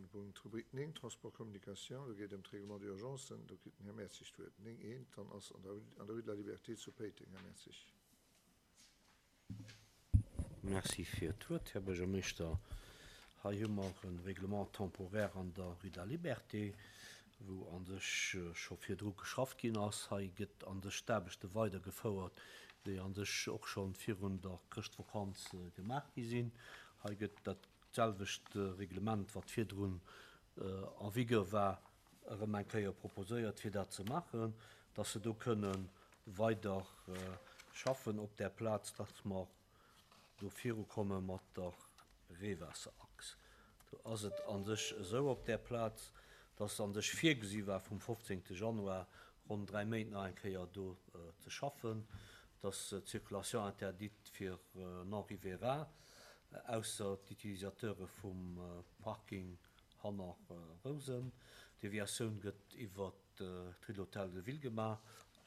de Punkt Rubrik 9, Transport, Communication. Do geet et ëm d'Règlement d'urgencen. Do kritt den Här Mertzig d'Wuert. 9, eent, dann ass an der an der Rue de la Liberté zu Péiteng. Här Mertzig. Merci fir d'Wuert, Här Buergermeeschter. Hei hu mer e Règlement temporaire an der Rue de la Liberté, wou a sech scho virdru geschafft ginn ass. Hei gëtt a sech d'Aarbechte weidergefouert, déi a sech och scho virun der Chrëschtvakanz gemaach gi sinn. Hei gëtt dat selwecht Reglement, wat virdrun en vigueur war, erëm eng Kéier proposéiert, fir dat ze maachen, dass se do kënne weider schaffen op där Plaz, dass mer do virukomme mat der Reewaasserachs. Do ass et a sech esou op där Plaz, dass a sech virgesi war vum 15. Januar ronn 3 Méint nach eng Kéier do ze schaffen, dass d'Circulation interdite fir Non-riverains, ausser d'Utilisateure vum Parking hanner Rousen. D'Deviatioun gëtt iwwer d'Rue de l'Hôtel de Ville gemaach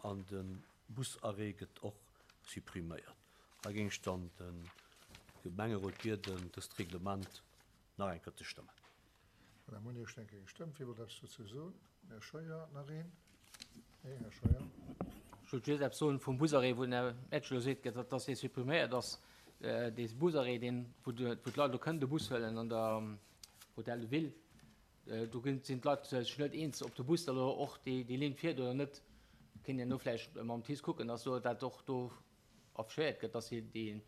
an de Busarrêt gëtt och suppriméiert. Hei géing ech dann de Gemengerot bieden, dëst Reglement nach eng Kéier ze stëmmen. Madame Monier, ech denke gestëmmt. Wie wollt eppes dozou soen? Här Scheuer, nach een? Nee, Här Scheuer. Ech wollt just eppes soen vum Busarrêt, wou den Här Etsch elo seet, dass dee suppriméiert ass. Dee Busarrêt, deen, wou d'Leit elo kënnen de Bus huelen an der Hôtel de Ville, do sinn d'Leit sech net eens, ob de Bus da elo och déi Linn fiert oder net. Kéint een do vläicht mam TICE kucken, dass do dat och do affichéiert gëtt, dass déi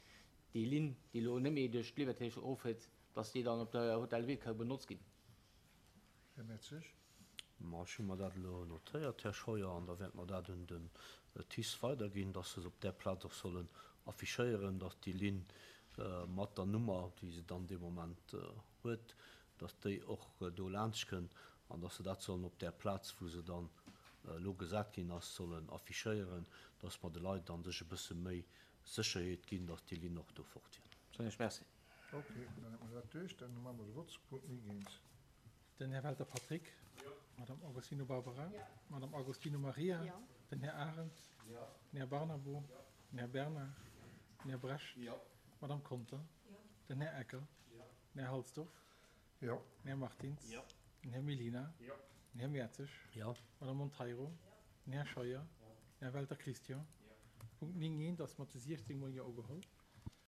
Linn, déi elo net méi duerch d'Liberté eroffiert, dass déi dann op der Hôtel de Ville ka benotzt ginn. Här Mertzig. Ma ech hu mer dat elo notéiert, Här Scheuer, an da wäerte mer dat un den TICE weiderginn, dass se se op där Plaz och sollen affichéieren, dass déi Linn mat der Nummer, déi se dann dee Moment huet, dass déi och do laanschtkënnt an dass se dat sollen op där Plaz, wou se dann elo gesat ginn ass, sollen affichéieren, dass mer de Leit a sech e bësse méi Sécherheet ginn, dass déi Linn och do fortfiert. Soen ech Merci. Ok, dann hätte mer dat duerch. Dann maache mer de Vott zu Punkt 9 eens. Den Här Welter Patrick. Jo. D'Madame Agostino Barbara. Jo. D'Madame Agostino Maria. Jo. Den Här Arendt. Jo. Den Här Barnabo. Jo. Den Här Bernard. Den Här Brecht. Jo. D'Madame Conter. Jo. Den Här Ecker. Jo. Den Här Halsdorf. Jo. Den Här Martins. Jo. Den Här Mellina. Jo. Den Här Mertzig. Jo. D'Madame Monteiro. Jo. Den Här Scheuer. Jo. Den Här Welter Christian. Jo. Punkt 9 eent ass mat de 16 mol Jo ugeholl.